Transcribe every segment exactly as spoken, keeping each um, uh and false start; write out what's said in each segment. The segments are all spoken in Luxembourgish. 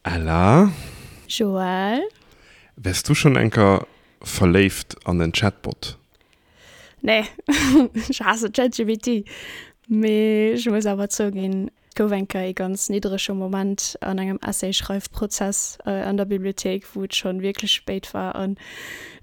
Ella? Joël? Wars du schonn eng Kéier verléift an en Chatbot? Nee, ech haasse ChatGPT. Mee ech muss awer zouginn, et gouf eng Kéier ee ganz niddrege Moment an engem Essay-Schreifprozess an der Bibliothéik, wou et schonn wierklech spéit war an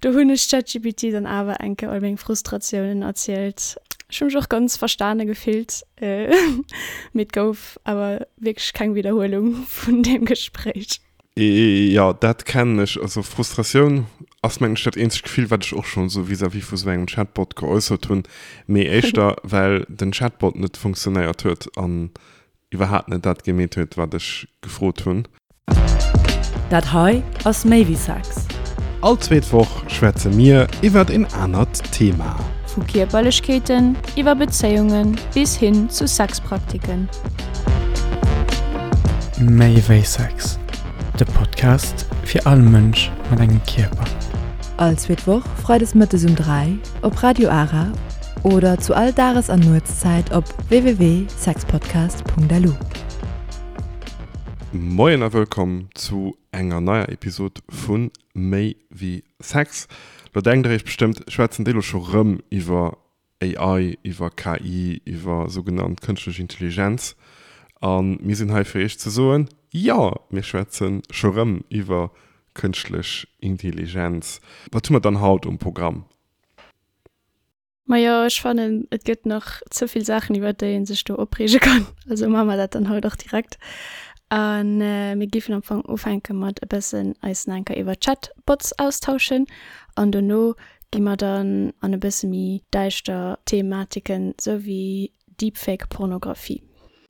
do hunn ech ChatGPT dann awer eng Kéier all meng Frustratiounen erzielt. Ech hu mech och ganz verstane gefillt, mee et gouf awer wierklech keng Widderhuelung vun deem Gespréich. Jo, dat kennen ech. Also Frustratioun ass mengen ech dat eenzegt Gefill, wat ech och schonn esou vis-à-vis vu sou engem Chatbot geäussert hunn, mee éischter well den Chatbot net funktionéiert huet an iwwerhaapt net dat gemeet huet, wat ech gefrot hunn. Dat hei ass Méi wéi Sex. All zweet Woch schwätze mir iwwert een anert Thema. Vu Kierperlechkeeten iwwer Bezéiunge bis hin zu Sexpraktiken. Méi wéi Sex, de Podcast fir all Mënsch mat engem Kierper. All zweet Woch freides mëttes um dräi op Radio Ara oder zu all Dages an Nuetszäit op w w w sexpodcast punkt l u. Moien a wëllkomm zu enger neier Episod vu Méi wéi Sex. Lo denkt der iech bestëmmt, schwätzen déi lo scho rëm iwwer A I, iwwer K I, iwwer sougenannt kënschtlech Intelligenz? A mir sinn hei fir iech ze soen, jo, mir schwätze scho rëm iwwer kënschtlech Intelligenz. Wat hu mer dann haut um Programm? Majo, ech fannen, et gëtt nach ze vill Saachen, iwwer déi ee sech do opreege kann. Also maache mer dat dann haut och direkt. A mir géifen am Fong ufänke mat e bëssen eis nach eng Kéier iwwer Chatbots austauschen. An dono gi mer dann an e bësse méi däischter Thematiken, sou wéi Deepfake-Pornografie.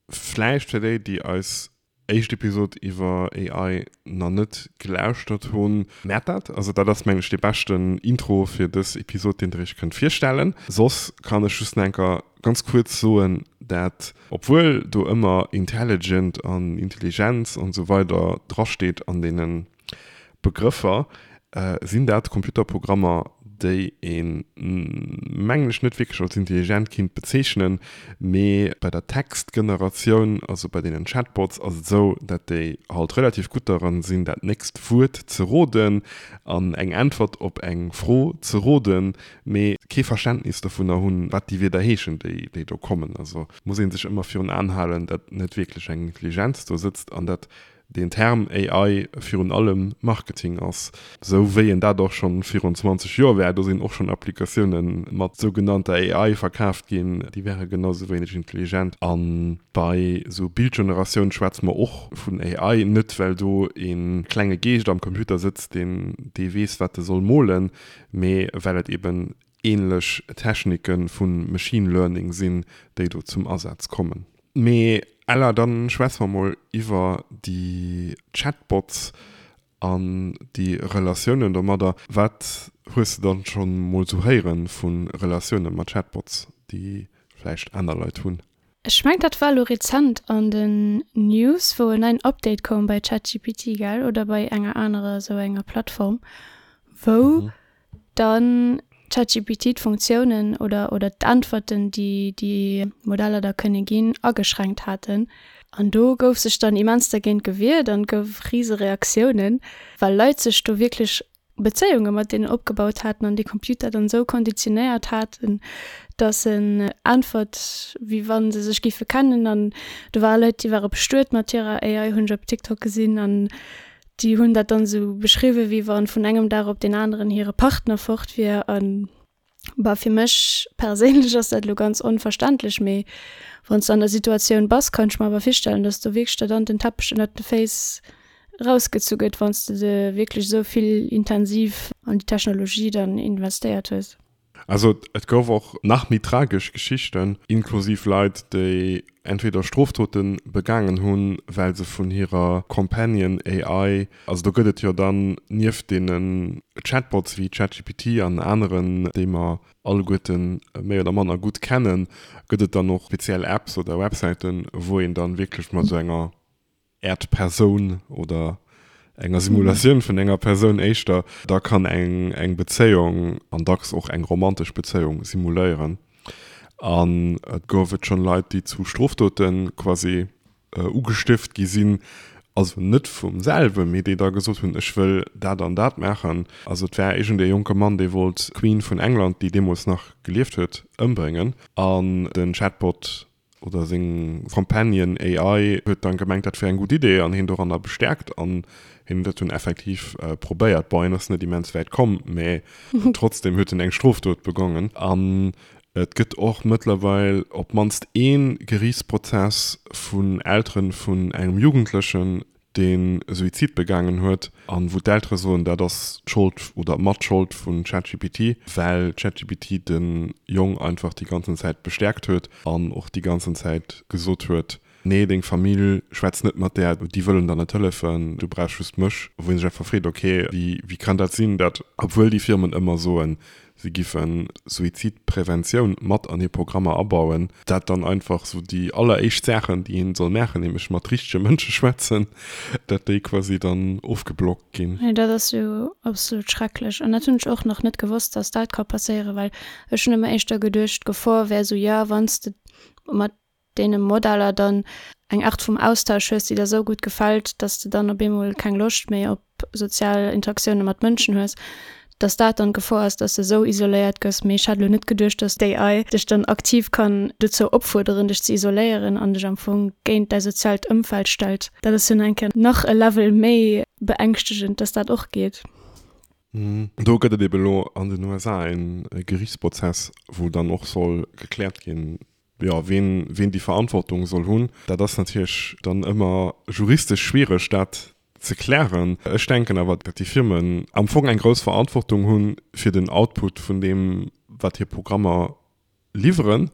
Vläicht fir déi, déi eis éischt Episod iwwer A I nach net gelauschtert hunn, Maacht dat. Also dat ass mengen ech dee beschten Intro fir dës Episod, deen der iech kënnt virstellen. Soss kann ech just nach eng Kéier ganz kuerz soen, dat obwuel do ëmmer intelligent an Intelligenz an esou weider drasteet an deene Begrëffer, sinn dat Computerprogrammer, déi een, mengen ech, net wierklech als intelligent kinnt bezeechnen. Mee bei der Textgeneratioun, also bei deenen Chatbots, ass et esou, dat déi halt relativ gutt daran sinn, dat nächst Wuert ze roden an eng Äntwert op eng Fro ze roden, mee kee Verständnis dovunner hunn, wat déi Wierder heeschen, déi déi do kommen. Also muss ee sech ëmmer virun Aen halen, dat net wierklech eng Intelligenz do sëtzt an dat den Term A I virun allem Marketing ass, sou wéi en dat och schonn virun zwanzeg Joer war. Do sinn och schonn Applikatioune mat sougenannter A I verkaaft ginn, déi wäre genau sou wéineg intelligent. A bei sou Bildgeneratioun schwätze mer och vun A I, net well do e klenge Geescht am Computer sëtzt, deen dee weess, wat e soll molen, mee well et eben änlech Technike vu Machine Learning sinn, déi do zum Asaz kommen. Mee Ella, dann schwätze mer mol iwwer déi Chatbots an déi Relatiounen domadder. Wat hues de dann schonn mol sou héiere vu Relatioune mat Chatbots, déi vläicht aner Leit hunn? Ech mengen, dat war elo rezent an den News, wou en neien Update koum bei ChatGPT, gell, oder bei enger anerer sou enger Plattform, wou dann ChatGPT d'Funktiounen oder oder d'Äntwerten, déi déi Modeller da kënne ginn, ageschränkt haten. An do gouf sech dann immens dergéint gewiert an et gouf rise Reaktiounen, well Leit sech do wierklech Bezéiunge mat deenen opgebaut haten an dee Computer dann esou konditionéiert haten, dass en äntwert, wéi wa se sech géife kennen. An do ware Leit, déi ware bestuet mat hirer A I, hunn ech op TikTok gesinn, an déi hunn dat dann esou beschriwwen, wéi wann vun engem Dag op deen aneren hire Partner fort wier. An bah, fir mech perséinlech ass dat elo ganz onverständlech, mee wann s de an der Situatioun bass, kann ech mer awer virstellen, dass do wierklech der dann den Teppech ënnert de Féiss rausgezu gëtt, wann s de de wierklech esou vill intensiv an déi Technologie dann investéiert hues. Also et gouf och nach méi tragesch Geschichten, inklusiv Leit, déi entweder Strofdote begaangen hunn, well se vun hirer Companion A I, also do gëtt et jo dann nieft deenen Chatbots wéi ChatGPT an aneren, déi mer alleguerte méi oder manner gutt kennen, gëtt et dann och speziell Apps oder Websäiten, wou een dann wierklech mat esou enger Äert Persoun oder enger Simulatioun vun enger Persoun éischter da kann eng eng Bezéiung, an dacks och eng romantesch Bezéiung, simuléieren. An et gouf et schonn Leit, déi zu Strofdote quasi ugestëft gi sinn also net vum selwen, mee déi da gesot hunn, ech wëll dat an dat maachen. Also et war iergend ee jonke Mann, dee wollt d'Queen vun England, déi deemools nach gelieft huet, ëmbréngen an den Chatbot oder seng Companion A I huet dann gemengt, dat wär eng gutt Idee an hien doranner bestäerkt an hien huet dat dunn effektiv probéiert. Bon, hien ass net immens wäit komm, mä trotzdem huet en eng Strofdot begongen. An et gëtt och mëttlerweil op d'mannst ee Geriichtsprozess vun Eltere vun engem Jugendlechen, dee Suizid begaangen huet, an wou d'Eltere soen, dat ass d'Schold oder mat Schold vun ChatGPT, well ChatGPT de Jong einfach déi ganzen Zäit bestäerkt huet an och déi ganzen Zäit gesot huet, Nee, deng Famill schwätzt net mat där, déi wëllen der net hëllefen, du brauchs just mech. Wou ee sech einfach freet, ok, wéi kann dat sinn, dat obwuel déi Firmen ëmmer soen, si giffen Suizidpreventioun mat an hir Programmer abauen, dat dann einfach sou déi alleréischt Saachen, déi een soll maachen, nämlech mat richtege Mënsche schwätzen, dat déi quasi dann ofgeblockt ginn. Nee, dat ass jo absolut schrecklech. An dat hunn ech och nach net gewosst, dass dat ka passéieren, well ech hunn ëmmer éischter geduecht, d'Gefor wär sou, jo, wann s de mat deene Modeller dann eng Art vum Austausch hues, déi der esou gutt gefält, dass de dann op eemol keng Loscht méi op sozial Interaktioune mat Mënschen hues, dass dat dann d'Gefor ass, dass de esou isoléiert gëss. Mee ech hat elo net geduecht, dass d'A I dech dann aktiv kann dozou opfuerderen, dech ze isoléieren an dech am Fong géint däi soziaalt Ëmfeld stellt. Dat ass jo nach eng Kéier nach e Level méi beängschtegend, dass dat och geet. Do gëtt et ebe elo an den U S A e Geriichtsprozess, wou dann och soll gekläert ginn, jo, ween, ween déi Verantwortung soll hunn. Dat ass natierlech dann ëmmer juristesch schwiereg, dat ze klären. Ech denken awer, datt déi Firmen am Fong eng grouss Verantwortung hu fir den Output vun deem, wat hir Programmer liwweren,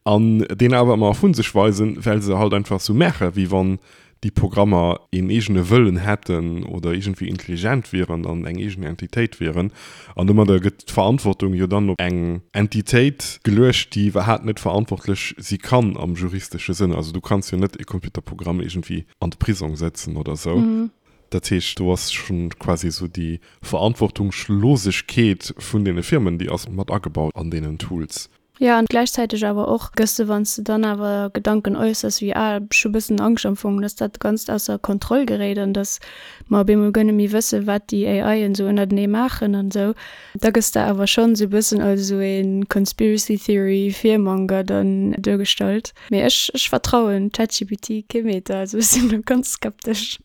an deen awer ëmmer vu sech weisen, well se halt einfach sou maache wéi wann déi Programmer een eegene Wëllen hätten oder iergendwéi intelligent wieren an eng eegen Entitéit wieren. An domadder gëtt d'Verantwortung jo dann op eng Entitéit geluecht, déi iwwerhaapt net verantwortlech si kann am juristesche Sënn. Also du kanns jo net e Computerprogramm iergendwéi an de Prisong sëtzen oder sou. Dat heescht, do ass schonn quasi sou déi Verantwortungslosegkeet vun deene Firmen, déi ass mat agebaut an deenen Tools. Jo, an gläichzäiteg awer och gëss de, wann s de dann awer Gedanken äussers wéi, ah, ech hu bëssen Angscht am Fong, dass dat Ganzt ausser Kontroll geréit an dass mer op eemol guer net méi wëssen, wat déi A Ien esou ënnertenee maachen an esou, da gëss de awer schonn esou e bëssen als esou ee Conspiracy Theory Fearmonger dann duergestallt. Mee ech, ech vertrauen ChatGPT kee Meter, also ech sinn do ganz skeptesch.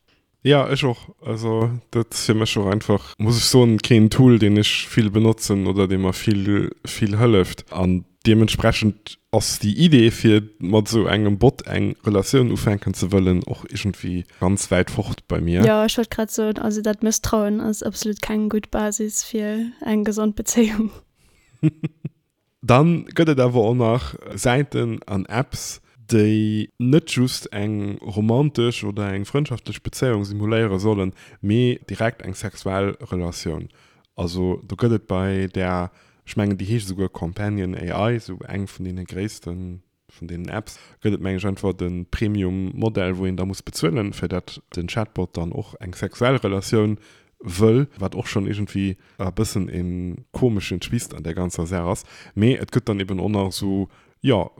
Jo, ech och. Also dat ass fir mech och einfach, muss ech soen, keen Tool, deen ech vill benotzen oder dee mer vill, vill hëlleft. An deementsprechend ass déi Idee, fir mat esou engem Bot eng Relatioun ufänken ze wëllen, och iergendwéi ganz wäit fort bei mir. Jo, ech wollt grad soen, also dat Mësstrauen ass absolut keng gutt Basis fir eng gesond Bezéiung. Dann gëtt et awer och nach Säiten an Apps, déi net just eng romantesch oder eng frëndschaftlech Bezéiung simuléiere sollen, mee direkt eng sexuell Relatioun. Also do gëtt et bei där, ech mengen déi heescht esouguer Companion A I, esou eng vun deene gréisste vun deenen Apps, gëtt et meng ech einfach de Premium Modell, wou een da muss bezuelen, fir dat den Chatbot dann och eng sexuell Relatioun wëll, wat och schonn iergendwéi e bëssen e komeschen Twist an där ganzer Saach ass. Mee et gëtt dann eben och nach esou, jo,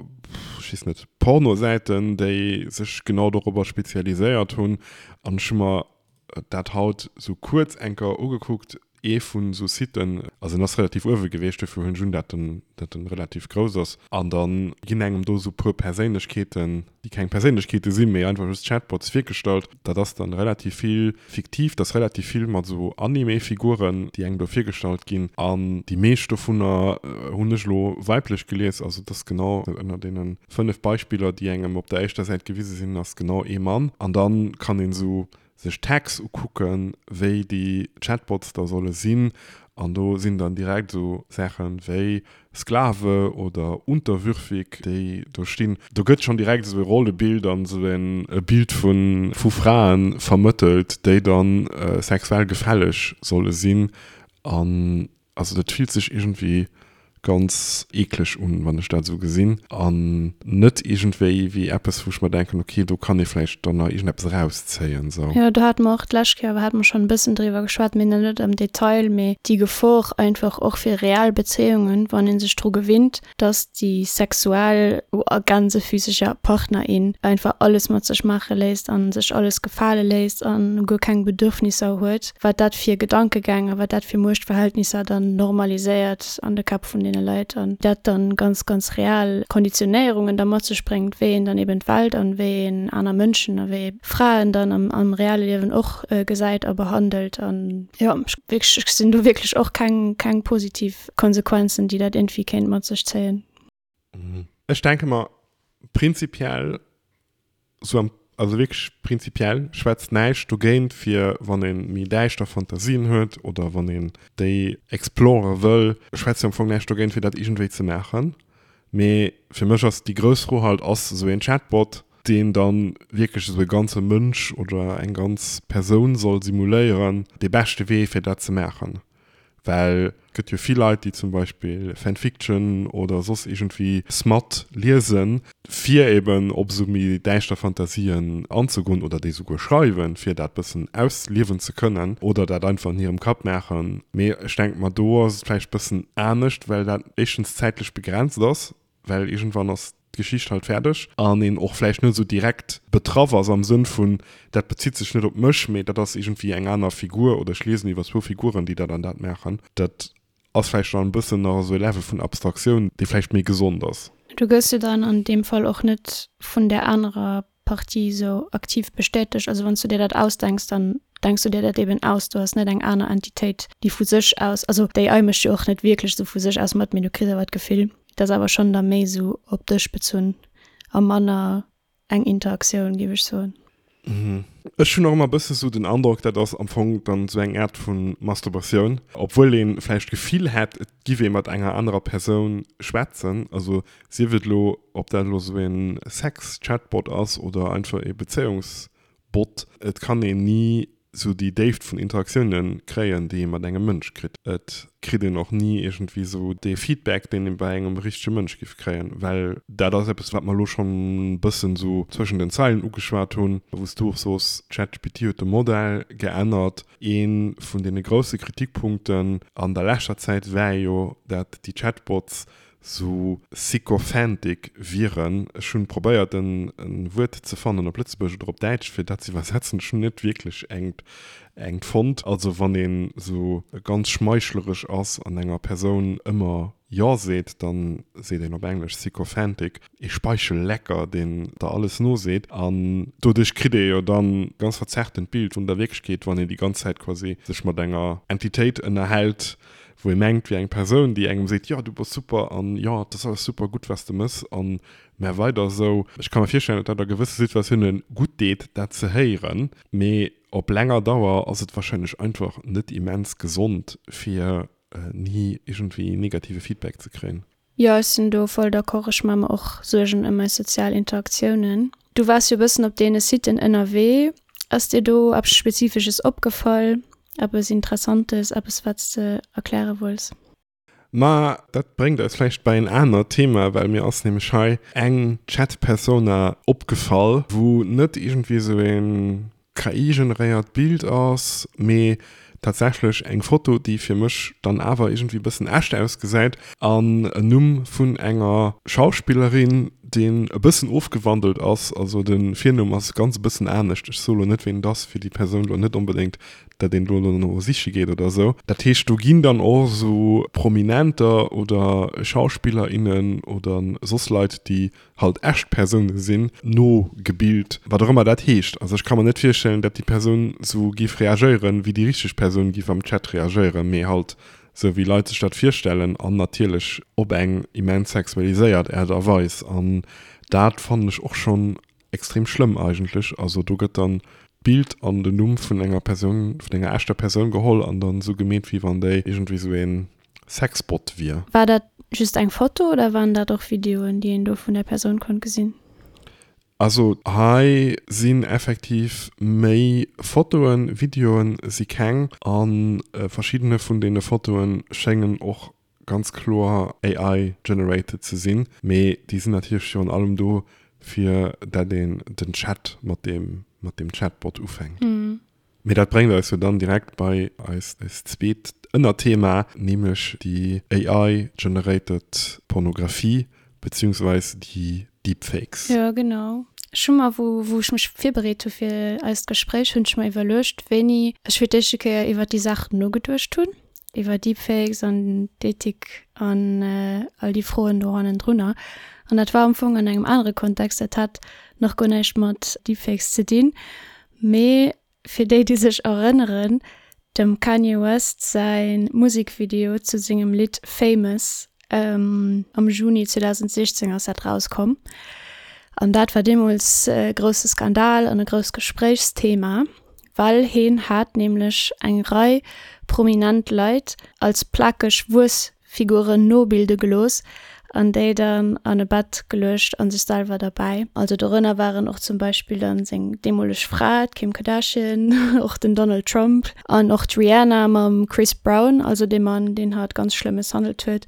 ech weess net, Pornosäiten, déi sech genau dorobber spezialiséiert hunn. An ech hu mer dat haut esou kuerz eng Kéier ugekuckt, ee vun esou Siten, also en ass relativ uewe gewiescht, dofir hunn ech un, dat en, dat en relativ grouss ass. An da ginn engem do esou puer Perséinlechkeeten, déi keng Perséinlechkeete sinn, mee einfach just Chatbots virgestallt. Dat ass dann relativ vill fiktiv, dat ass relativ vill mat esou Anime-Figuren, déi engem do virgestallt ginn. An déi meescht dovunner hunn ech elo weiblech gelies, also et ass genau ënner deene fënnef Beispiller, déi engem op der éischter Säit gewise sinn, ass genau ee Mann. An da kann een esou sech Tags ukucken, wéi déi Chatbots da solle sinn, an do sinn dann direkt esou Saache wéi Sklave oder unterwürfig, déi do stinn. Do gëtt schonn direkt esou e Rollebild an esou e Bild vu vu Frae vermëttelt, déi da sexuell gefälleg solle sinn. An also dat fillt sech iergendwéi ganz eekleg un, wann ech dat esou gesinn an net iergendwéi wéi eppes, wou ech mer denken, okay, do kann ee vläicht dann nach iergendeppes erauszéien esou. Jo, do hate mer och d'lescht Kéier, hate mer schonn e bëssen driwwer geschwat, mee nach net am Detail, mee déi Gefor einfach och fir real Bezéiungen, wann ee sech dru gewinnt, dass déi sexuell a gänsefüseger Partner, in einfach alles mat sech maache léisst an sech alles gefale léisst an guer keng Bedürfnisser huet, wat dat fir Gedankegäng a wat dat fir Muechtverhältnisser dann normaliséiert an de Käpp vun deene Leit an dat dann ganz, ganz real Konditionéierungen da mat sech bréngt, wéi een dann eben d'Welt an wéi een aner Mënschen a wéi ee Fraen dann am, am reale Liewen och gesäit a behandelt an jo, ech wierklech, ech gesinn do wierklech och keng, keng positiv Konsequenzen, déi dat iergendwéi kéint mat sech zéien. Ech denke mer, prinzipiell, sou am, also wierklech prinzipiell schwätzt näischt dogéint, fir wann ee méi däischter Fantasien huet oder wann een déi explore wëll, schwätzt jo am Fong näischt dogéint, fir dat iergendwéi ze maachen. Mee fir mech ass déi grouss Fro halt, Ass esou een Chatbot, deen dann wierklech esou e ganze Mënsch oder eng ganz Persoun soll simuléieren, dee beschte Wee fir dat ze maachen? Well et gëtt jo vill Leit, déi zum Beispill Fanfiction oder soss iergendwéi Smut liesen, fir eben op esou méi däischter Fantasien anzegoen oder déi souguer schreiwen, fir dat bëssen ausliewen ze kënnen oder dat einfach an hirem Kapp maachen. Mee ech denke mer, do ass et vläicht bëssen anescht, well dat éischtens zäitlech begrenzt ass, well iergendwann ass d'Geschicht halt fäerdeg an een och vläicht net esou direkt betraff ass am Sënn vun, dat bezitt sech net op mech, mee dat ass iergendwéi eng aner Figur oder ech liesen iwwer zwou Figuren, déi dat an dat maachen. Dat ass vläicht dann e bëssen nach esou e Level vun Abstraktioun, dee vläicht méi gesond ass. Du gëss jo dann an deem Fall och net vun där anerer Partie esou aktiv bestätegt. Also wann s du dir dat ausdenks, dann denks du dir dat eben aus. Du has net eng aner Entitéit, déi vu sech aus, also d'AI mécht jo och net wierklech esou vu sech aus mat, mee du kriss awer d'Gefill, et ass awer schonn da méi esou op dech bezunn a manner eng Interaktioun, géif ech soen. Ech hunn och ëmmer e bësse sou den Androck, dat ass am Fong dann esou eng Aart vu Masturbatioun, obwuel ee vläicht d'Gefill hätt, et giff ee mat enger anerer Persoun schwätzen. Also sief et elo, ob dat elo esou e Sex-Chatbot ass oder einfach ee Bezéiungsbot, et kann een ni sou déi Déift vun Interaktiounen kréien, déi ee mat engem Mënsch kritt. Et kritt een och ni iergendwéi sou dee Feedback, deen ee bei engem richtege Mënsch giff kréien, well dat ass eppes, wat mer elo schonn e bëssen sou zwëschen den Zeilen ugeschwat hunn, wou s du och soos, ChatGPT huet de Modell geännert. Ee vun deene grousse Kritikpunkten an der leschter Zäit war jo, dat déi Chatbots sou sycophantic wieren. Ech hunn probéiert en Wuert ze fannen op Lëtzebuergesch oder op Däitsch fir dat ze iwwersetzen, ech hunn net wierklech engt engt fonnt. Also wann een sou ganz schmeichleresch ass an enger Persoun ëmmer Jo seet, dann seet een op Englesch sycophantic, ee Speichellecker deen der alles noseet. An doduerch kritt ee jo dann ganz verzerrtent Bild vun der Wierklechkeet, wann een déi ganz Zäit quasi sech mat enger Entitéit ënnerhält, wou ee mengt, wier eng Persoun, déi engem seet, jo, du bass super an jo, et ass alles super gutt, wat s de mëss an mä weider esou. Ech ka mer virstellen, datt dat a gewësse Situatioune gutt deet, dat ze héieren, mee op länger Dauer ass et warscheinlech einfach net immens gesond, fir ni iergendwéi negative Feedback ze kréien. Jo, ech sinn do voll d'accord. Ech maache mer och Suergen ëm eis sozial Interaktiounen. Du waars jo e bëssen op deene Siten ënnerwee. Ass dir do eppes Spezifesches opgefall, eppes Interessantes, eppes wat s de erkläre wëlls? Ma dat bréngt eis vläicht bei en anert Thema, well mir ass nämlech hei eng Chat-Persona opgefall, wou net iergendwéi esou e K I-generéiert Bild ass, mee tatsächlech eng Foto, déi fir mech dann awer iergendwéi e bëssen echt ausgesäit an en Numm vun enger Schauspillerin, deen e bëssen ofgewandelt ass, also de Virnumm ass ganz e bëssen anescht, ech soe lo net ween et ass, fir déi Persoun lo net onbedéngt, dat een do lo no siche geet oder esou. Dat heescht do ginn dann och esou Prominenter oder Schauspiller, innen oder soss Leit, déi halt echt Persoune sinn, nogebilt, wat och ëmmer dat heescht. Also ech ka mer net virstellen, dat déi Persoun esou géif reagéieren, wéi déi richteg Persoun géif am Chat reagéieren, mee halt sou wéi Leit sech dat virstellen an natierlech op eng immens sexualiséiert Aart a Weis. An dat fannen ech och schonn extrem schlëmm eigentlech. Also do gëtt dann d'Bild an den Numm vun enger Persoun, vun enger echter Persoun geholl an dann esou gemeet, wéi wann déi iergendwéi esou ee Sexbot wier. War dat just eng Foto oder waren dat och Videoen, déi een do vun der Persoun konnt gesinn? Also hei sinn effektiv méi Fotoen, Videoen si keng, a verschiddene vun deene Fotoe schéngen och ganz kloer A I-generated ze sinn, mee déi sinn natierlech virun allem do, fir dat een den Chat mat deem mat deem Chatbot ufänkt. Mee dat bréngt eis jo dann direkt bei eist eist zweet Ënnerthema, nämlech déi A I-generated Pornografie beziehungsweis déi Deepfakes. Jo, genau. Ech hu mer, wou wou ech mech virbereet hu fir eist Gespréich, hunn ech mer iwwerluecht, wéini ech fir d'éischte Kéier iwwert déi Saach nogeduecht hunn, iwwer Deepfakes an d'Ethik an all déi Froen do hannendrunner. An dat war am Fong an engem anere Kontext, dat hat nach guer näischt mat Deepfakes ze dinn, mee fir déi, déi sech erënneren, dem Kanye West säi Musekvideo zu sengem Lidd Famous, am Juni zweedausendsechzéng ass dat rauskomm, an dat war deemools e grousse Skandal an e grousst Gespréichsthema, well heen hat nämlech eng Rei prominent Leit als plakeg Wuessfiguren nobilde gelooss an déi dann an e Bett geluecht an sech selwer derbäi. Also dorënner waren och zum Beispill dann seng deemoleg Fra, d'Kim Kardashian, och den Donald Trump an och d'Rihanna mam Chris Brown, also dee Mann, deen hatt ganz schlëmm mësshandelt huet.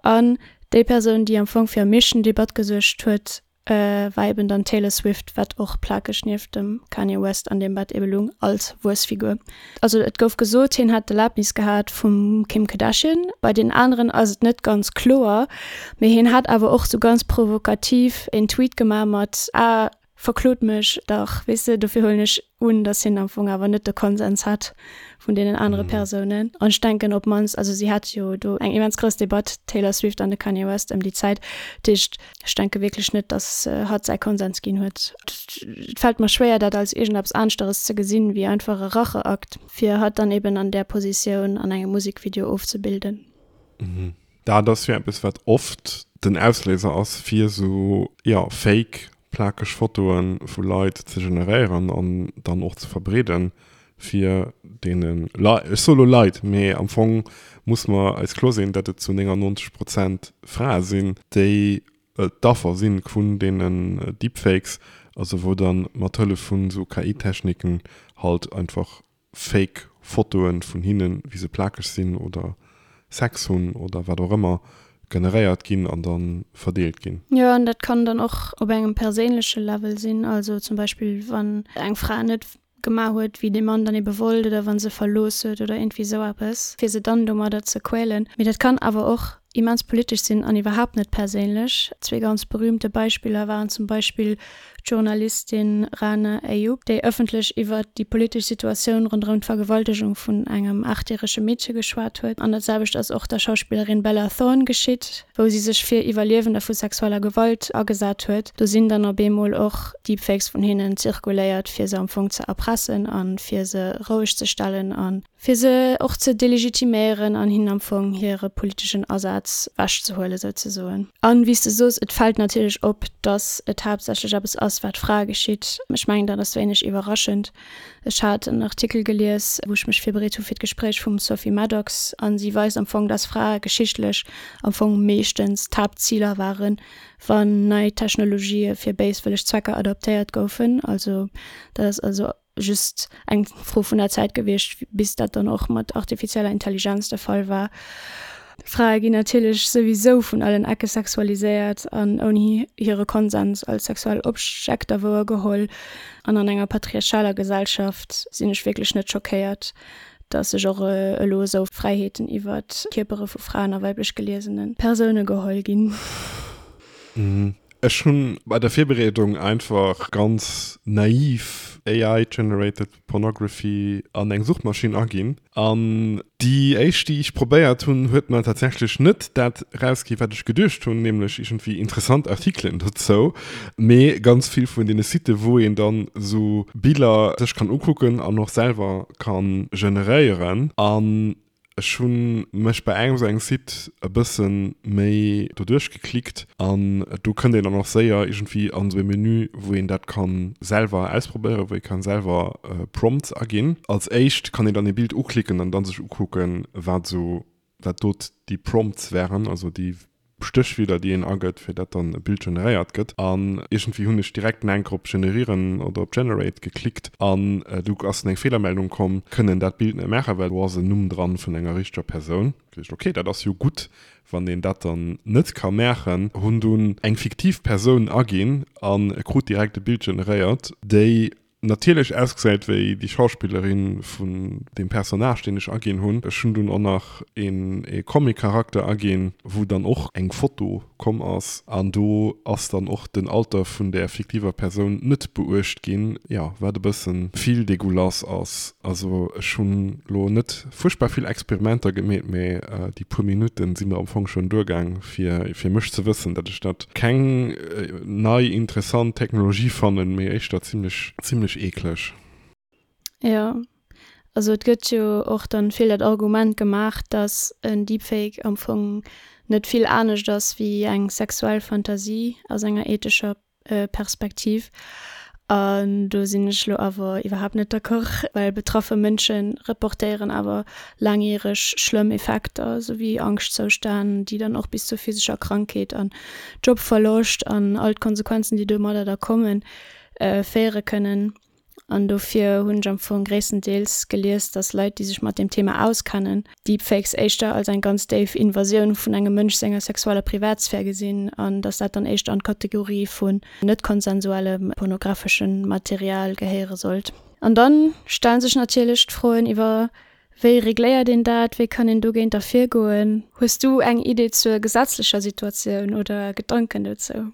An déi Persoun, déi am Fong fir am meeschten Debatt gesuergt huet, war eben dann d'Taylor Swift, wat och plakeg nieft dem Kanye West an deem Bett ebe lung als Wuessfigur. Also et gouf gesot, hien hätt d'Erlaabnis gehat vum Kim Kardashian. Bei den aneren ass et net ganz kloer, mee hien hat awer och sou ganz provokativ een Tweet gemaach mat, Ah, verklot mech dach, weess de. Dofir huelen ech un, datt hien am Fong awer net de Konsens hat vun deenen anere Persounen. An ech denken op d'mannst, also si hate jo do eng immens grouss Debatt, d'Taylor Swift an de Kanye West, ëm déi Zäit. Dat heescht, ech denke wierklech net, datt hatt säi Konsens ginn huet. Et fält mer schwéier, dat als iergendeppes aneschteres ze gesinn, wéi einfach e Racheakt, fir hatt dann eben an där Positioun an engem Musekvideo ofzebilden. Dat ass jo eppes, wat oft den Ausléiser ass, fir esou, jo, fake plakeg Fotoe vu Leit ze generéieren an dann och ze verbreeden, fir deene Leit, ech soe lo Leit, mee am Fong muss mer eis kloer sinn, datt et zu néngannonzeg Prozent Frae sinn, déi d'Affer si vun deenen Deepfakes, also wou da mat Hëllef vun esou K I-Techniken halt einfach fake Fotoe vun hinnen, wéi se plakeg sinn oder Sex hunn oder wat och ëmmer, generéiert ginn an da verdeelt ginn. Jo, an dat kann dann och op engem perséinleche Level sinn, also zum Beispill wann eng Fra net gemaach huet, wéi dee Mann dann ebe wollt oder wa se verlooss huet oder iergendwéi esou eppes, fir se dann domadder ze quälen. Mee dat kann awer och immens politesch sinn an iwwerhaapt net perséinlech. Zwee ganz berühmte Beispiller waren zum Beispill d'Journalistin Rana Ayyub, déi ëffentlech iwwer déi politesch Situatioun ronderëm d'Vergewaltegung vun engem aachtjärege Meedche geschwat huet. An dat selwecht ass och der Schauspillerin Bella Thorne geschitt, wou si sech fir Iwwerliewender vu sexueller Gewalt agesat huet. Do sinn dann op eemol och Deepfakes vun hinnen zirkuléiert, fir se am Fong ze erpressen a fir se roueg ze stellen a fir se och ze delegitiméieren an hinnen am Fong hire politeschen Asaz wechzehuelen, souzesoen. An, wéi s de sos, et fält natierlech op, dass et haaptsächlech eppes ass, wat Frae geschitt. Ech mengen, dat ass wéineg iwwerraschend. Ech hat en Artikel gelies, wou ech mech virbereet hu fir d'Gespréich, vum Sophie Maddox, a si weist am Fong, dass Frae geschichtlech am Fong meeschtens d'Haaptziler waren, wann nei Technologië fir béiswëlleg Zwecker adaptéiert goufen. Also dat ass also just eng Fro vun der Zäit gewiescht, bis dat dann och mat artifizieller Intelligenz de Fall war. Frae ginn natierlech souwisou vun allen Ecke sexualiséiert an ouni hire Konsens als sexuell Objekter wouergeholl. An an enger patriarchaler Gesellschaft sinn ech wierklech net schockéiert, dass sech och elo esou Fräiheeten iwwer d'Kierpere vu Fraen a weiblech geliesene Persoune geholl ginn. Ech hunn bei der Virbereedung einfach ganz naiv A I generated pornography an eng Suchmaschinn aginn an déi éischt déi ech probéiert hunn huet mer tatsächlech net dat rausgi wat ech geduecht hunn, nämlech iergendwéi interessant Artikelen dozou, mee ganz vill vun deene Siten wou een dann esou Biller sech kann ukucken an och selwer kann generéieren. An ech hu mech bei engem esou engem Site e bësse méi doduerch geklickt an do kënnt een dann och séier iergendwéi an esou e Menü, wou een dat ka selwer ausprobéieren, wou ee ka selwer Prompts aginn. Als éischt kann een dann ee Bild uklicken an dann sech ukucken, wat esou, wat do déi Prompts wären, also déi Stéchwierder, déi een agëtt, fir dat dann e Bild generéiert gëtt. An iergendwéi hunn ech direkt en enker op Generieren oder op Generate geklickt an du ass dann eng Feelermeldung komm, kënnen dat Bild net maachen, well do ass en Numm dran vun enger richteger Persoun. Geduecht, ok, dat ass jo gutt, wann een dat dann net ka maachen. Hunn dunn eng fiktiv Persoun aginn a krut direkt e Bild generéiert, déi natierlech ausgesäit wéi déi Schauspillerin vun deem Personnage, deen ech aginn hunn. Ech hunn dunn och nach een ee Comic-Charakter aginn, wou dann och eng Foto komm ass an do ass dann och den Alter vun där fiktiver Persoun net beuecht ginn, jo, wat e bëssen vill dégueulasse ass. Also ech hunn lo net fuerchtbar vill Experimenter gemeet, mee déi puer Minutten si mer am Fong schonn duergaang fir fir mech ze wëssen, datt ech dat keng nei interessant Technologie fannen, mee éischter zimlech zimlech eekleg. Jo, also et gëtt jo och dann vill dat Argument gemaach, dass en Deepfake am Fong net vill anescht ass wéi eng sexuell Fantasie aus enger ethescher Perspektiv. An do sinn ech lo awer iwwerhaapt net d'accord, well betraffe Mënsche reportéieren awer laangjäreg schlëmm Effekter, esou wéi Angschtzoustänn, déi dann och bis zur physescher Krankheet an Jobverloscht an all d'Konsequenzen, déi domadder da kommen, féiere kënnen. An dofir hunn ech am Fong gréisstendeels gelies, dass Leit, déi sech mat deem Thema auskennen, Deepfakes éischter als eng ganz déif Invasioun vun engem Mënsch senger sexueller Privatsphär gesinn an dass dat dann éischter an d'Kategorie vun net konsensuellem pornographeschem Material gehéiere sollt. An dann stellen sech natierlech d'Froen iwwer, Wéi regléiert een dat? Wéi kann een dogéinter virgoen? Hues du eng Idee zur gesetzlecher Situatioun oder Gedanken dozou?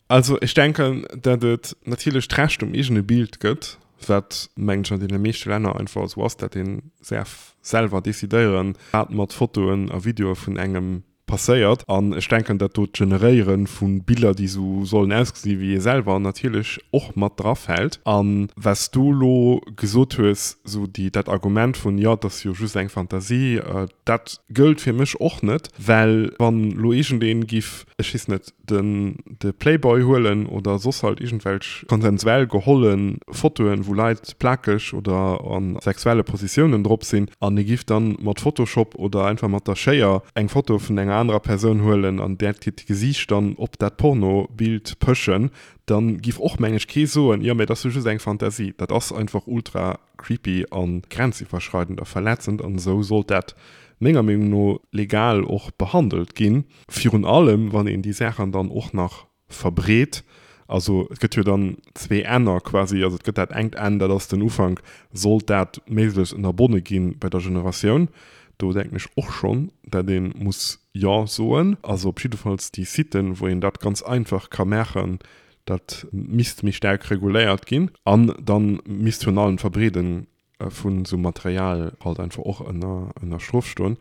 Also ech denken, datt et natierlech d'Recht um eegene Bild gëtt, wat, mengen ech, an deene meeschte Länner einfach esou ass, datt een däerf selwer decidéieren, wat mat Fotoen a Videoe vun engem passéiert. An ech denken, datt do d'Generéiere vu Biller, déi esou sollen ausgesi wéi ee selwer, natierlech och mat drafält. A wat s du elo gesot hues, esou déi, dat Argument vun, jo, et ass jo just eng Fantasie, dat gëllt fir mech och net, well wann elo iergendee giff, ech weess net, den de Playboy huelen oder soss halt iergendwelch konsensuell geholle Fotoen, wou Leit plakeg oder a sexuelle Positiounen drop sinn, an ee giff dann mat Photoshop oder einfach mat der Schéier eng Foto vun enger anerer Persoun huelen an där hiert Gesiicht dann op dat Pornobild pëschen, dann giff och meng ech kee soen, jo mä dat ass jo just eng Fantasie. Dat ass einfach ultra creepy a grenziwwerschreidend a verletzend an esou sollt dat menger Meenung no legal och behandelt ginn, virun allem wann een déi Saachen dann och nach verbreet. Also et gëtt jo dann zwee Enner quasi, also et gëtt dat engt Enn, dat ass den Ufank, sollt dat méiglechst ënnerbonne gi bei der Generatioun. Do denken ech och schonn, dat ee muss Jo soen. Also op jiddefalls déi Siten, wou een dat ganz einfach ka maachen, dat misst méi staark reguléiert ginn. An da misst virun allem d'Verbreede vun esou Material halt einfach och ënner ënner Strof stoen.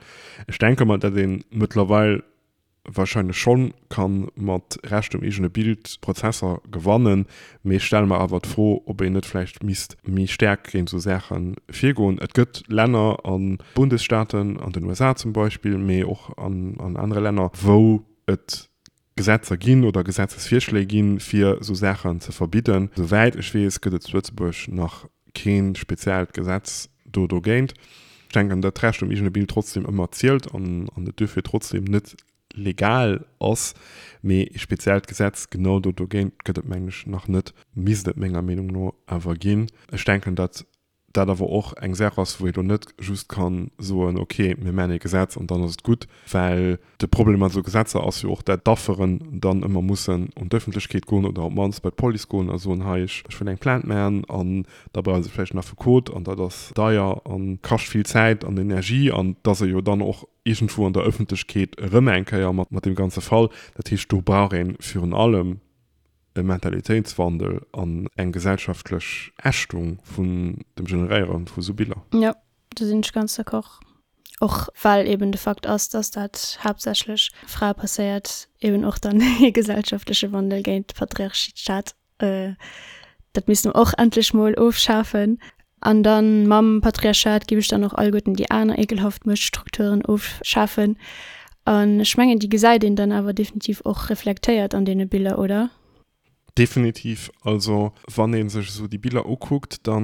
Ech denke mer, datt ee mëttlerweil wahrscheinlech schonn ka mat Recht um eegene Bild Prozesser gewannen, mee ech stelle mer awer d'Fro, ob een net vläicht misst méi staark géint esou Saache virgoen. Et gëtt Länner a Bundesstaaten, an den U S A zum Beispill, mee och an an anere Länner, wou et Gesetzer ginn oder Gesetzesvirschléi ginn, fir esou Saachen ze verbidden. Souwäit ech weess, gëtt et zu Lëtzebuerg nach kee speziellt Gesetz do dogéint. Ech denken, datt d'Recht um eegene Bild trotzdem ëmmer zielt an et duerfir trotzdem net legal ass. Mee ee speziellt Gesetz genau do dogéint gëtt et, mengen ech, nach net, misst et menger Meenung no awer ginn. Ech denken, datt dat awer och eng Saach ass, wou ee lo net just ka soen, ok, mir maachen ee Gesetz an dann ass et gutt, well de Problem mat esou Gesetzer ass jo och, dat d'Afferen dann ëmmer mussen un d'Ëffentlechkeet goen oder op d'mannst bei d'Police goen a soen, hei, ech wëll eng Plainte maachen an da brauche se vläicht en Affekot an dat ass deier a kascht vill Zäit an Energie an et ass e jo dann och iergendwou an der Ëffentlechkeet erëm eng Kéier mat deem ganze Fall. Dat heescht, do brauch ee virun allem e Mentalitéitswandel an eng gesellschaftlech Ächtung vun dem Generéiere vu sou Biller. Jo, do sinn ech ganz d'accord. Och well eben de Fakt ass, dass dat haaptsächlech Frae passéiert, eben och dann ee gesellschaftleche Wandel géint d'Patriarchat. Dat misste mer och endlech mol ofschafen. An dann mam Patriarchat giff ech dann och alleguerten déi aner ekelhaft Muechtstrukturen ofschafen. An ech mengen, déi gesäit een dann awer definitiv och reflektéiert an deene Biller, oder? Definitiv. Also wann ee sech esou déi Biller ukuckt, da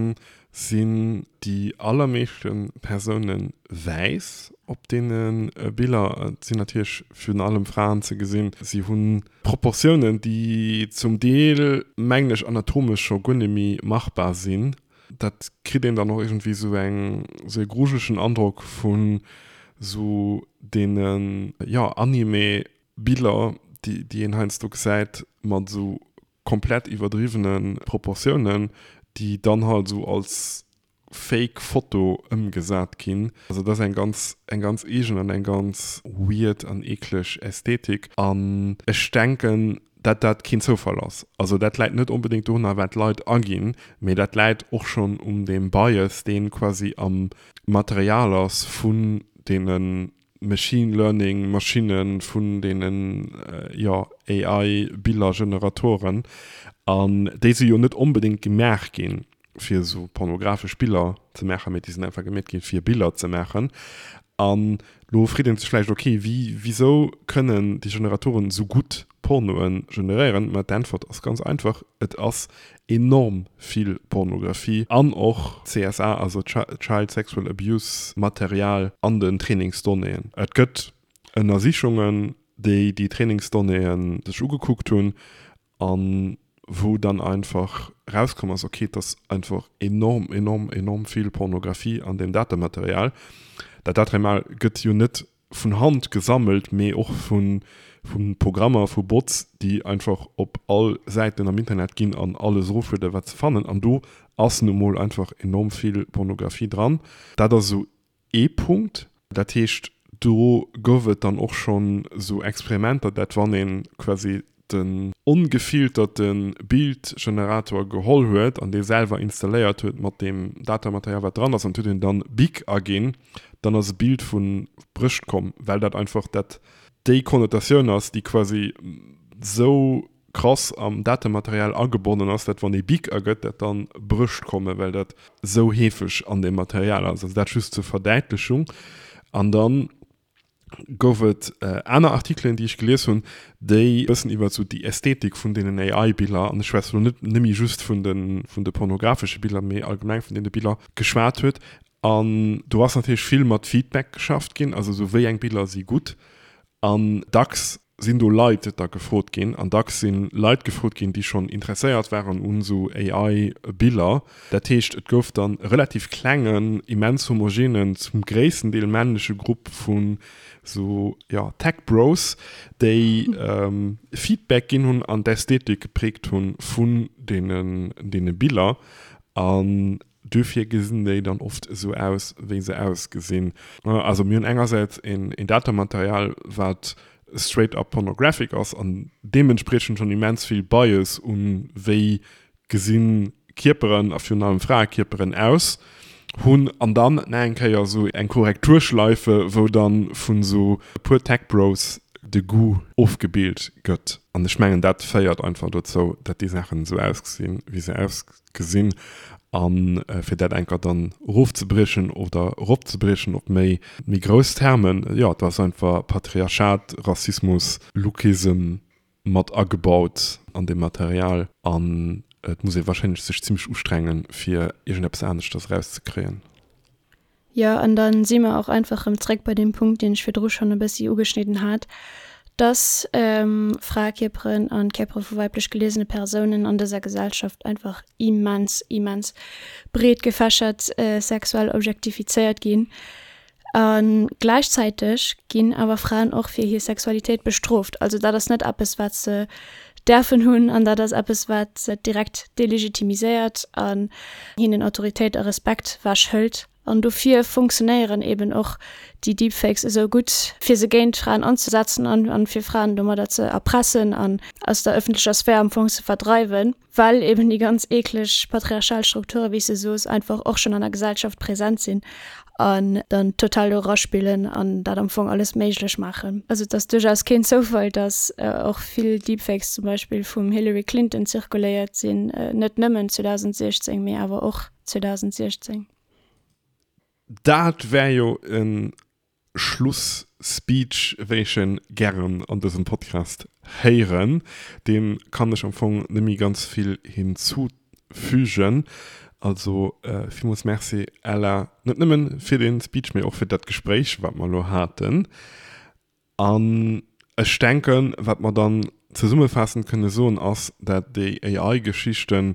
sinn déi allermeeschte Persoune wäiss op deene Biller. Et sinn natierlech virun allem Fraen ze gesinn. Si hu Proportiounen, déi zum Deel, mengen ech, anatomesch scho guer net méi machbar sinn. Dat kritt een dann och iergendwéi esou eng, esou e grujelegen Androck vun esou deene, jo, Anime-Biller, déi, déi een heiansdo gesäit mat esou komplett iwwerdriwwene Proportiounen, déi dann halt esou als Fake Foto ëmgesat ginn. Also dat ass eng ganz, eng ganz eegen an eng ganz weird an eekleg Ästhetik. An ech denken, dat dat keen Zoufall ass. Also dat läit net onbedéngt dorunner, wat d'Leit aginn, mee dat läit och schonn un deem Bias, dee quasi am Material ass vun deene Machine Learning Maschinne vun deenen, jo, A I Billergeneratoren. An déi si jo net onbedéngt gemaach ginn, fir esou pornografesch Biller ze maachen, mee déi sinn einfach gemeet ginn, fir Biller ze maachen. An lo freet een sech vläicht, ok, wéi, wisou kënnen déi Generatoren esou gutt Pornoe generéieren? Ma d'Äntwert ass ganz einfach, Et ass enorm vill Pornografie an och C S A, also Child Sexual Abuse Material an den Trainingsdonnéeën. Et gëtt Ënnersichungen, déi déi Trainingsdonnéeë sech ugekuckt hunn a wou dann einfach erauskomm ass, ok, et ass einfach enorm, enorm, enorm vill Pornografie an deem Datematerial. Dat Datematerial gëtt jo net vun Hand gesammelt, mee och vu Programmer, vu Bots, déi einfach op all Säiten am Internet ginn an alles eroflueden, wat se fannen. An do ass nu mol einfach enorm vill Pornografie dran. Dat ass esou ee Punkt. Dat heescht, do gouf et dann och schonn esou Experimenter, dat wann ee quasi den ongefilterte Bildgenerator geholl huet an dee selwer installéiert huet mat deem Datamaterial wat dran ass an et huet een dann Big aginn, dann ass e Bild vu Brëscht komm, well dat einfach dat déi Konnotatioun ass, déi quasi sou krass am Datematerial agebonnen ass, dat wann ee Big agëtt, dat dann Brëscht kommen, well dat sou heefeg an deem Material ass. Also dat just zur Verdäitlechung. An dann gouf et aner Artikelen, déi ech gelies hunn, déi e bëssen iwwer esou déi Ästhetik vun deenen A I-Biller, an ech schwätze lo net nëmme just vun de vun de pornografesche Biller, mee allgemeng vun deene Biller geschwat huet. An do ass natierlech vill mat Feedback geschafft ginn, also esou wéi eng Biller si gutt. An dacks sinn do Leit da gefrot ginn, an dacks si Leit gefrot ginn, déi schonn interesséiert waren un esou A I-Biller. Dat heescht, et gouf dann e relativ klengen, immens homogenen, zum gréissten Deel männleche Grupp vu sou, jo, Tech-Bros, déi Feedback ginn hunn an d'Ästhetik gepräägt hu vun deene Biller. An duerfir gesinn déi dann oft esou aus, wéi se ausgesinn. Also mir hunn engersäits een Datamaterial, wat straight up pornographic ass an deementspriechend schonn immens vill Bias un wéi gesi Kierperen a virun allem Fraekierperen aus hunn, an dann nach eng Kéier esou eng Korrekturschleife, wou dann vun esou e puer Tech Bros de Goût ofgebilt gëtt. An ech mengen, dat féiert einfach dozou, datt déi Saachen esou ausgesinn, wéi se ausgesinn. A fir dat enker dann erofzebriechen oder eropzebriechen op méi méi grouss Termen, jo, do ass einfach Patriarchat, Rassismus, Lookism mat agebaut an deem Material. An et muss ee warscheinlech sech zimmlech ustrengen, fir iergendeppes aneschters erauszekréien. Jo, an da si mer och einfach erëm zréck bei deem Punkt, deen ech virdru schonn e bëssi ugeschnidden hat, dass Fraekierperen an d'Kierpere vu weiblech geliesene Persounen an dëser Gesellschaft einfach immens, immens breet gefächert sexuell objektifizéiert ginn. A gläichzäiteg ginn awer Fraen och fir hir Sexualitéit bestrooft. Also dat ass net eppes, wat se däerfen hunn an dat ass eppes, wat se direkt delegitimiséiert an hinnen Autoritéit a Respekt wechhëlt. An dofir funktionéieren eben och déi Deepfakes esou gutt, fir se géint Fraen anzesetzen an fir Fraen domadder ze erpressen an aus der ëffentlecher Sphär am Fong ze verdreiwen, well eben déi ganz eekleg patriarchal Strukture, wéi s de soos, einfach och schonn an der Gesellschaft present sinn an dann total do eraspillen an dat am Fong alles méiglech maachen. Also et ass duerchaus keen Zoufall, datt och vill Deepfakes zum Beispill vum Hillary Clinton zirkuléiert sinn, net nëmmen zweedausendsiechzéng, mee awer och zweedausendsiechzéng. Dat wär jo e Schluss-Speech, wéi ech en gären an dësem Podcast héieren. Deem kann ech am Fong net méi ganz vill hinzufügen. Also villmools Merci Ella, net nëmmen fir den Speech, mee och fir dat Gespréich wat mer elo haten. An ech denken, wat mer dann zesummefaassend kënne soen ass, dat déi A I-Geschichten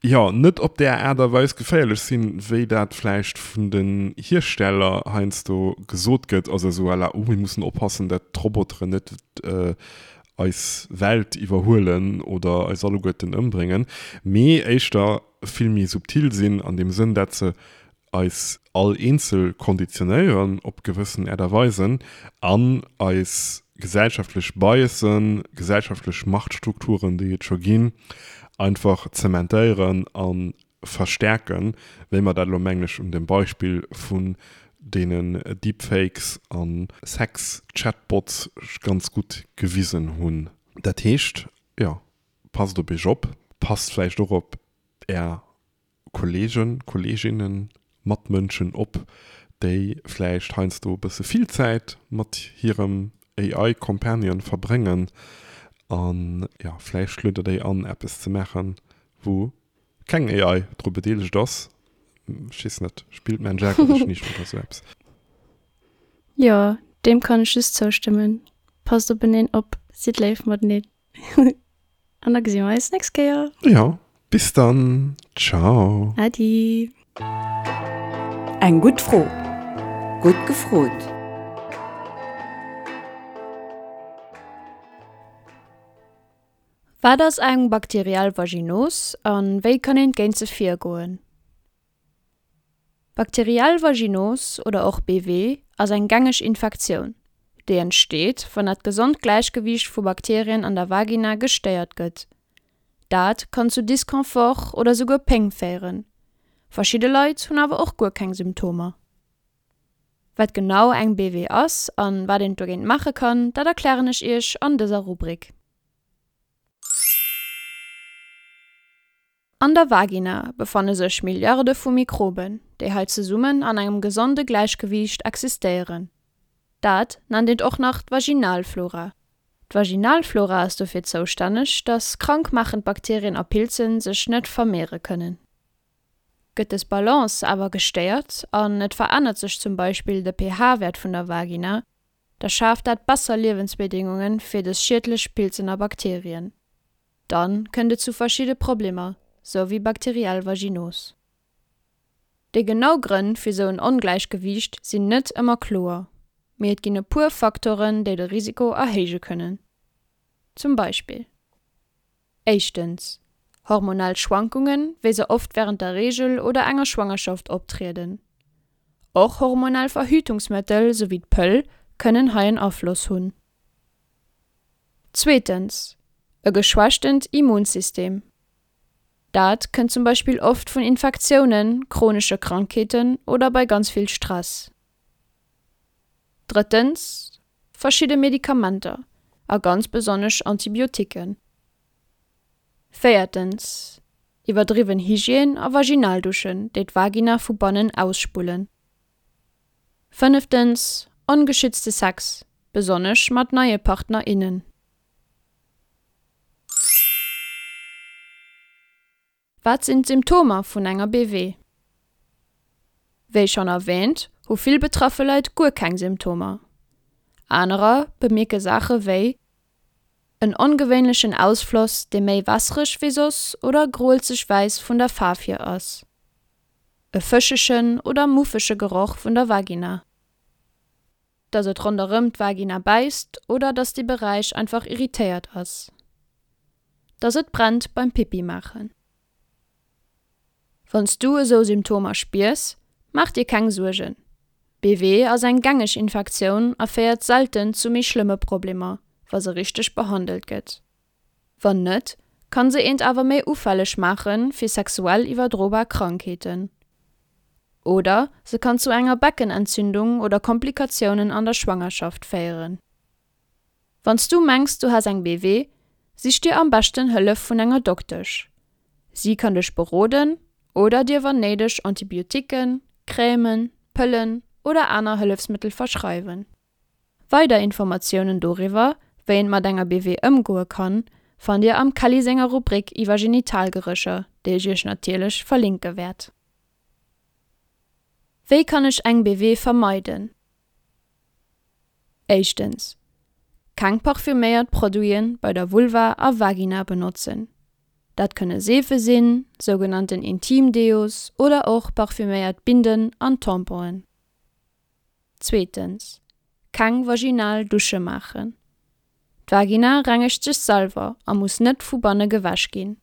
jo net op där Aart a Weis geféierlech sinn, wéi dat vläicht vun den Hiersteller heiansdo gesot gëtt, also esou à la, oh mir mussen oppassen, dat d'Roboteren net eis Welt iwwerhuelen oder eis alleguerten ëmbréngen, mee éischter vill méi subtil sinn an deem Sënn, dat se eis all eenzel konditionéieren op gewëssen Aart a Weisen an eis gesellschaftlech Biasen, gesellschaftlech Machtstrukturen, déi et scho ginn, einfach zementéieren a verstärken, wéi mer dat elo, mengen ech, un dem Beispill vun deenen Deepfakes a Sex-Chatbots ganz gutt gewisen hunn. Dat heescht, jo, passt op iech op, passt vläicht och op är Kollegen, Kolleginnen, Matmënschen op, déi vläicht heiansdo e bësse vill Zäit mat hirem A I-Companion verbréngen an jo, vläicht luet der déi an, eppes ze maachen, wou keng A I dru bedeelegt ass. Ech weess net, spillt Mensch ärger dech nicht oder sou eppes. Jo, deem kann ech just zoustëmmen. Passt openeen op, sidd léif mateneen. An da gesi mer eis nächst Kéier. Jo, bis dann. Ciao. Adi. Eng gutt Fro. Gutt gefrot. Wat ass eng bakteriell Vaginos an wéi kann een géint se virgoen? Bakteriell Vaginos oder och B W ass eng gängeg Infektioun, déi entsteet, wann dat gesond Gläichgewiicht vu Bakterien an der Vagina gestéiert gëtt. Dat kann zu Disconfort oder souguer Péng féieren. Verschidde Leit hunn awer och guer keng Symptomer. Wat genau eng B W ass an wat een dogéint maache kann, dat erklären ech iech an dëser Rubrik. An der Vagina befanne sech Milliarde vu Mikroben, déi hei zesummen an engem gesonde Gläichgewiicht existéieren. Dat nennt een och nach d'Vaginalflora. D'Vaginalflora ass dofir zoustänneg, dass krankmachend Bakterien a Pilzen sech net vermehren kënnen. Gëtt des Balance awer gestéiert an et verännert sech zum Beispill de P H-Wert vun der Vagina, da schaaft dat besser Liewensbedingungen fir des schiedlech Pilzen a Bakterien. Dann kënnt et zu verschiedene Problemer, sou wéi bakteriell Vaginos. Déi genau Grënn fir sou en Ongläichgewiicht sinn net ëmmer kloer, mee et ginn e puer Faktoren, déi de Risiko erhéije kënnen. Zum Beispill: Éischtens, hormonell Schwankungen, wéi se oft während der Regel oder enger Schwangerschaft optrieden. Och hormonell Verhütungsmittel sowie d'Pëll kënnen hei en Afloss hunn. Zweetens, e geschwächtent Immunsystem. Dat kënnt zum Beispill oft vun Infektiounen, chronische Krankheeten oder bei ganz vill Stress. Drëttens, verschiedene Medikamenter a ganz besonnesch Antibiotiken. Véiertens, iwwerdriwwen Hygiène a Vaginalduschen, déi d'Vagina vu bannen ausspullen. Fënneftens, ongeschützte Sex, besonnesch mat neie PartnerInnen. Wat sinn d'Symptomer vun enger B W? Wéi schon erwähnt, hu vill betraffe Leit guer keng Symptomer. Anerer bemierke Saache wéi en ongewéinlechen Ausfloss, dee méi wässereg wéi soss oder groelzeg wäiss vun der Faarf hier ass. E fëschegen oder muffege Geroch vun der Vagina. Dass et ronderëm d'Vagina bäisst oder dass de Beräich einfach irritéiert ass. Dass et brennt beim Pipi maachen. Wanns du esou Symptomer spiers, mach dir keng Suergen. B W ass eng gängeg Infektioun a féiert selten zu méi schlëmme Problemer, wa se richteg behandelt gëtt. Wann net, kann se eent awer méi ufälleg maachen fir sexuell iwwerdrobar Krankheeten. Oder se kann zu enger Beckenentzündung oder Komplikatiounen an der Schwangerschaft féieren. Wanns du mengs, du has eng B W, sich dir am beschten Hëllef vun enger Doktesch. Sie kann dech beroden oder dir wann néideg Antibiotiken, Crèmen, Pëllen oder aner Hëllefsmittel verschreiwen. Weider Informatiounen doriwwer, wéi een mat enger B W ëmgoe kann, fannt Dir am Kelly senger Rubrik iwwer Genitalgerécher, déi ech Iech natierlech verlinke wäert. Wéi kann ech eng B W vermeiden? Éischtens, keng parfüméiert Produiten bei der Vulva a Vagina benotzen. Dat kënne Seefe sinn, sougenannten Intimdeos oder och parfüméiert Binden an Tamponen. Zweetens, keng vaginal Dusche maachen. D'Vagina rengegt sech selwer a muss net vu banne gewäsch ginn.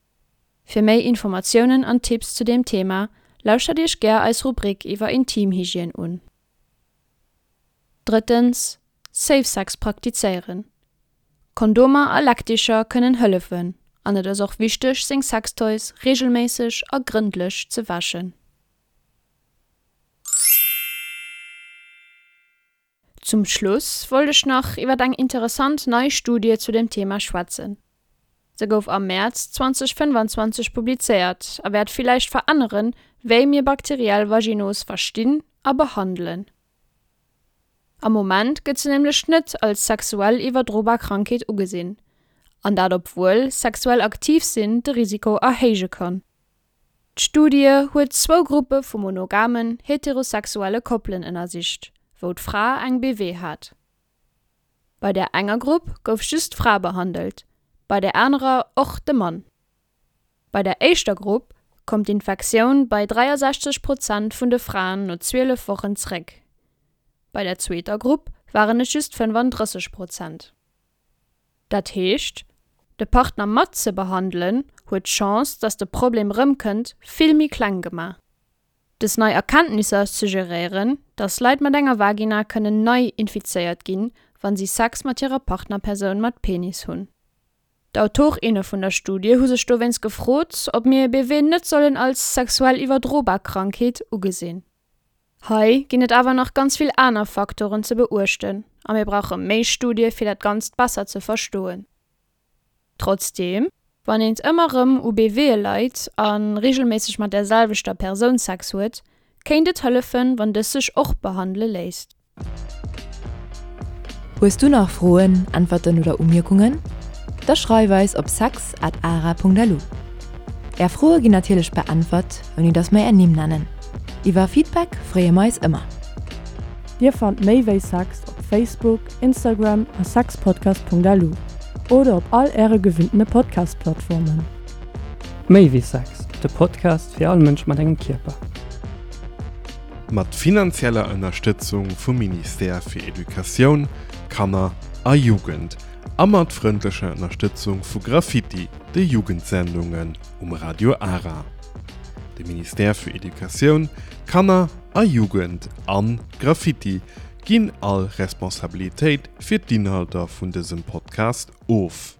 Fir méi Informatiounen an Tipps zu deem Thema lauschtert Iech gär eis Rubrik iwwer Intimhygiène un. Drëttens, Safe Sex praktizéieren. Kondomer a Leckdicher kënnen hëllefen an et ass och wichteg, seng Sextoys reegelméisseg a grëndlech ze wäschen. Zum Schluss wollt ech nach iwwer eng interessant nei Studie zu dem Thema schwätzen. Se gouf am Mäerz zweitausendfënnefanzwanzeg publizéiert a wäert villäicht veränneren, wéi mir bakteriell Vaginos verstinn a behandelen. Am Moment gëtt se nämlech net als sexuell iwwerdrobar Krankheet ugesinn. An dat obwuel sexuell aktiv sinn de Risiko erhéije kann. D'Studie huet zwou Gruppe vu monogamen, heterosexuelle Koppelen ënnersicht, wou d'Fra eng B W hat. Bei der enger Grupp gouf just d'Fra behandelt, bei der anerer och de Mann. Bei der éischter Grupp koum d'Infektioun bei dräiasechzeg Prozent vun de Fraen no zwielef Wochen zréck. Bei der zweeter Grupp waren et just fënnefandrësseg Prozent. Dat heescht, de Partner mat ze behandelen huet d'Chance, datt de Problem rëmkënnt, vill méi kleng gemaach. Dës nei Erkenntnisser suggeréieren, datt Leit mat enger Vagina kënnen nei infizéiert ginn, wann si Sex mat hirer Partnerpersoun mat Penis hunn. D'Autorinne vun der Studie hu sech dowéinst gefrot, ob mir B W net sollen als sexuell iwwerdrobar Krankheet ugesinn. Hei ginn et awer nach ganz vill aner Faktoren ze beuechten a mir brauche méi Studie fir dat Ganzt besser ze verstoen. Trotzdeem, wann eent ëmmer rëm u B W leit a reegelméisseg mat der selwechter Persoun Sex huet, kéint et hëllefen, wann dës sech och behandele léisst. Hues du nach Froen, Äntwerten oder Umierkungen? Da schreif eis op sex at ara punkt lu. Är Froe ginn natierlech beäntwert, ouni datt mer är Nimm nennen. Iwwer Feedback freeë mer eis ëmmer. Dir fannt méi wéi Sex op Facebook, Instagram a sexpodcast punkt lu oder op all äre gewinntene Podcast-Plattformen. Méi wéi Sex, de Podcast fir all Mënsch mat engem Kierper. Mat finanzieller Ënnerstëtzung vum Ministère fir Educatioun, Kanner a Jugend a mat frëndlecher Ënnerstëtzung vu Graffiti, de Jugendsendungen um Radio Ara. De Ministère fir Educatioun, Kanner a Jugend an Graffiti ginn all Responsabilitéit fir d'Inhalter vun dësem Podcast of.